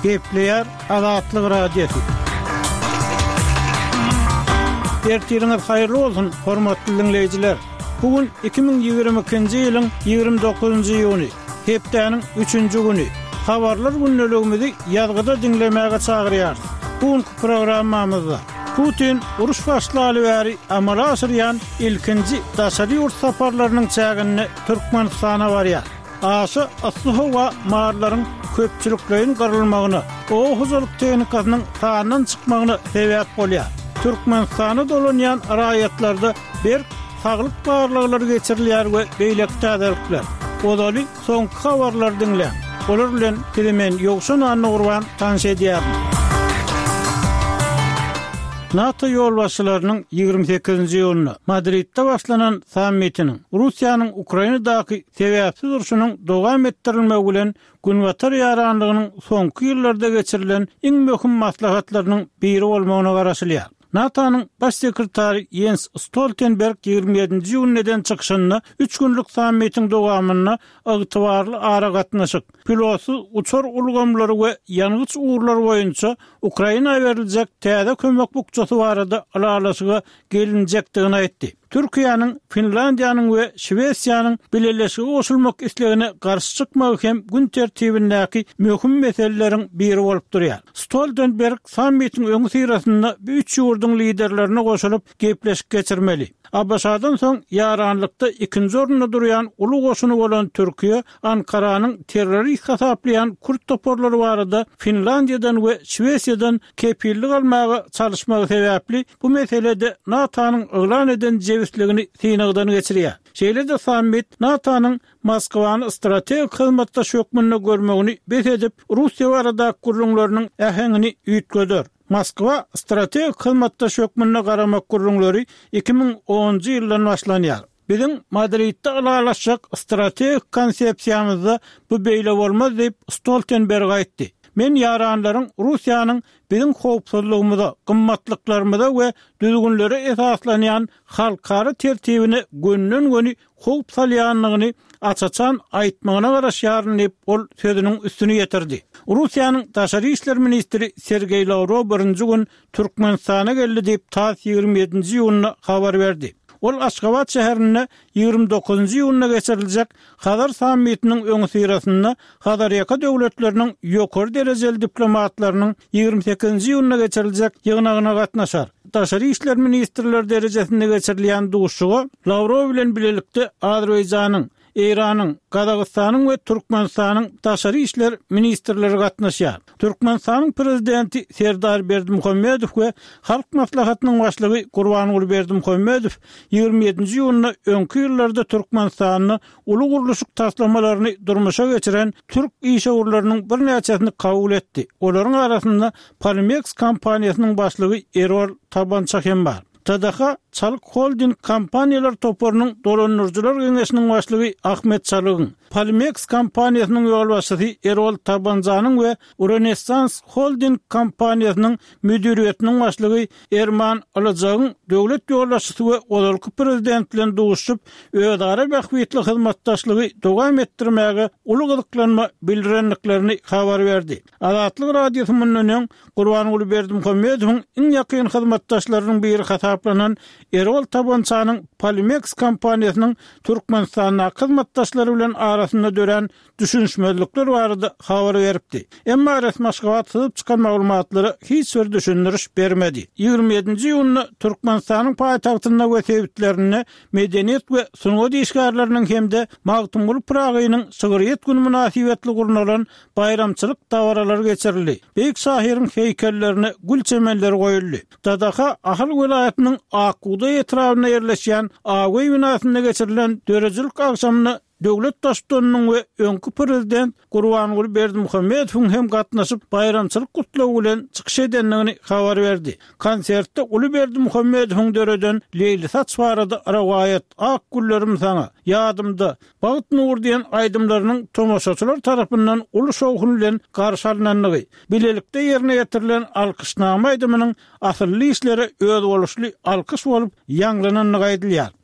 Gepleýär Azatlyk Radiosy. Ertiriňiz haýyrly bolsun, hormatly diňleýjiler! Bu gün 2022-nji ýylyň 29-njy iýuny, hepdäniň üçünji güni. Habarlar gündeligimizi ýazgyda diňlemäge çagyrýarys. Bu günki programmamyzda Putin uruş başlaly bäri amala aşyrýan ilkinji daşary ýurt saparlarynyň çäginde Türkmenistana barýar. Aşa yssy howa mallaryň köpçülikleýin gyrylmagyna, oba hojalyk tehnikasynyň sandan çykmagyna sebäp bolýar. Türkmenistana dolanýan raýatlarda berk saglyk barlaglary geçirilýär we beýleki täzelikler. Ozaly soňky habarlary diňläň. Olar bilen sizi men Ýowşan Annagurban tanyş edýärin. NATO ýolbaşçylarynyň 28-nji iýunda Madridde başlanan sammitiniň Russiýanyň Ukrainadaky sebäpsiz urşunyň dowam etdirilmegi bilen Günbatar ýaranlygynyň soňky ýyllarda geçirilen iň möhüm maslahatlarynyň biri bolmagyna garaşylýar. NATO-nyň Baş sekretary Ýens Stoltenberg 27-nji iýunda eden çykyşynda üç günlük sammitiň dowamynda ygtybarly aragatnaşyk, pilotsyz uçar ulgamlary we ýangyç ugurlary boýunça Ukraina beriljek täze kömek bukjasy barada ylalaşyga gelinjekdigini aýtdy. Türkiýäniň, Finlandiýanyň we Şwesiýanyň bileleşige goşulmak islegine garşy çykmagy hem gün tertibindäki möhüm meseleleriň biri bolup durýar. Stoltenberg sammitiň öňüsyrasynda bu üç ýurduň liderlerine goşulyp, gepleşik geçirmeli. ABŞ-dan soň ýaranlykda ikinji orunda durýan uly goşuny bolan Türkiýe Ankaranyň terrorist hasaplaýan kürt toparlary barada Finlandiýadan we Şwesiýadan kepillik almaga çalyşmagy sebäpli bu meselede NATO-nyň yglan eden jebisligini synagdan geçirýär. Şeýle-de sammit NATO-nyň Moskwany strategik hyzmatdaş hökmünde görmegini bes edip, Russiýa baradaky gürrüňleriniň äheňini üýtgeder. Moskwa strategik hyzmatdaş hökmünde garamak gürrüňleri 2010-njy ýyldan başlanýar. Biziň Madridde ylalaşjak strategik konsepsiýamyzda bu beýle bolmaz diýip, Stoltenberg aýtdy. Men ýaranlaryň Russiýanyň biziň howpsuzlygymyza, gymmatlyklarymyza we düzgünlere esaslanýan halkara tertibine gönden-göni howp salýandygyny aç-açan aýtmagyna garaşýaryn diýip, ol sözüniň üstüni ýetirdi. Russiýanyň daşary işler ministri Sergeý Lawrow birinji gün Türkmenistana geldi diýip, tass 27-nji iýunda habar berdi. Ol Aşgabat şäherinde 29-njy iýunda geçiriljek Hazar sammitiniň öňüsyrasynda Hazarýaka döwletleriniň ýokary derejeli diplomatlarynyň 28-nji iýunda geçiriljek ýygnagyna gatnaşar. Daşary işler ministrleri derejesinde geçirilýän duşuşyga Lawrow bilen bilelikde Azerbaýjanyň, Eýranyň, Gazagystanyň we Türkmenistanyň daşary işler ministrleri gatnaşýar. Türkmenistanyň Prezidenti Serdar Berdimuhamedow we Halk Maslahatynyň Başlygy Gurbanguly Berdimuhamedow 27-nji iýunda öňki ýyllarda Türkmenistanda uly gurluşyk taslamalaryny durmuşa geçiren türk işewürleriniň birnäçesini kabul etdi. Olaryň arasynda Polimeks kompaniýasynyň başlygy Erol Tabança hem bar. TDH Çalyk Holding kompaniýalar toparynyň dolandyryjylar geňeşiniň başlygy Ahmet Çalygyň, Polimeks kompaniýasynyň ýolbaşçysy Erol Tabanjanyň we Rönesans Holding kompaniýasynyň müdiriýetiniň başlygy Erman Ylyjagyň döwlet ýolbaşçysy we ozalky prezident bilen duşuşyp, özara bähbitli hyzmatdaşlygy dowam etdirmäge uly gyzyklanma bildirendiklerini habar berdi. Azatlyk Radiosy mundan öň Gurbanguly Berdimuhamedowyň iň ýakyn hyzmatdaşlarynyň biri hasaplanan Erol Tabançanyň Polimeks kompaniýasynyň Türkmenistandaky hyzmatdaşlary bilen arasynda dörän düşünişmezlikler barada habar beripdi. Emma resmi Aşgabat syzyp çykan maglumatlara hiç bir düşündiriş bermedi. 27-nji iýunda Türkmenistanyň paýtagtynda we sebitlerinde medeniýet we sungat işgärleriniň hem-de Magtymguly Pyragynyň şygryýet güni mynasybetli gurnalan baýramçylyk dabaralary geçirildi. Beýik şahyryň heýkellerine gül çemenleri goýuldy. TDH Ahal welaýatynyň Ak bugdaý etrabynda ýerleşýän Ak öý binasynda geçirilen döredijilik agşamyna döwlet Baştutanynyň we öňki Prezident Gurbanguly Berdimuhamedowyň hem gatnaşyp, baýramçylyk gutlagy bilen çykyş edendigini habar berdi. Konsertde uly Berdimuhamedowyň döreden Leýlisaç barada rowaýat, Ak güllerim saňa, Ýadymda, Bagt nury diýen aýdymlarynyň tomaşaçylar tarapyndan uly şowhun bilen garşy alnandygy, bilelikde ýerine ýetirilen Alkyşnama aýdymynyň asylly işlere özboluşly alkyş bolup ýaňlanandygy aýdylýar.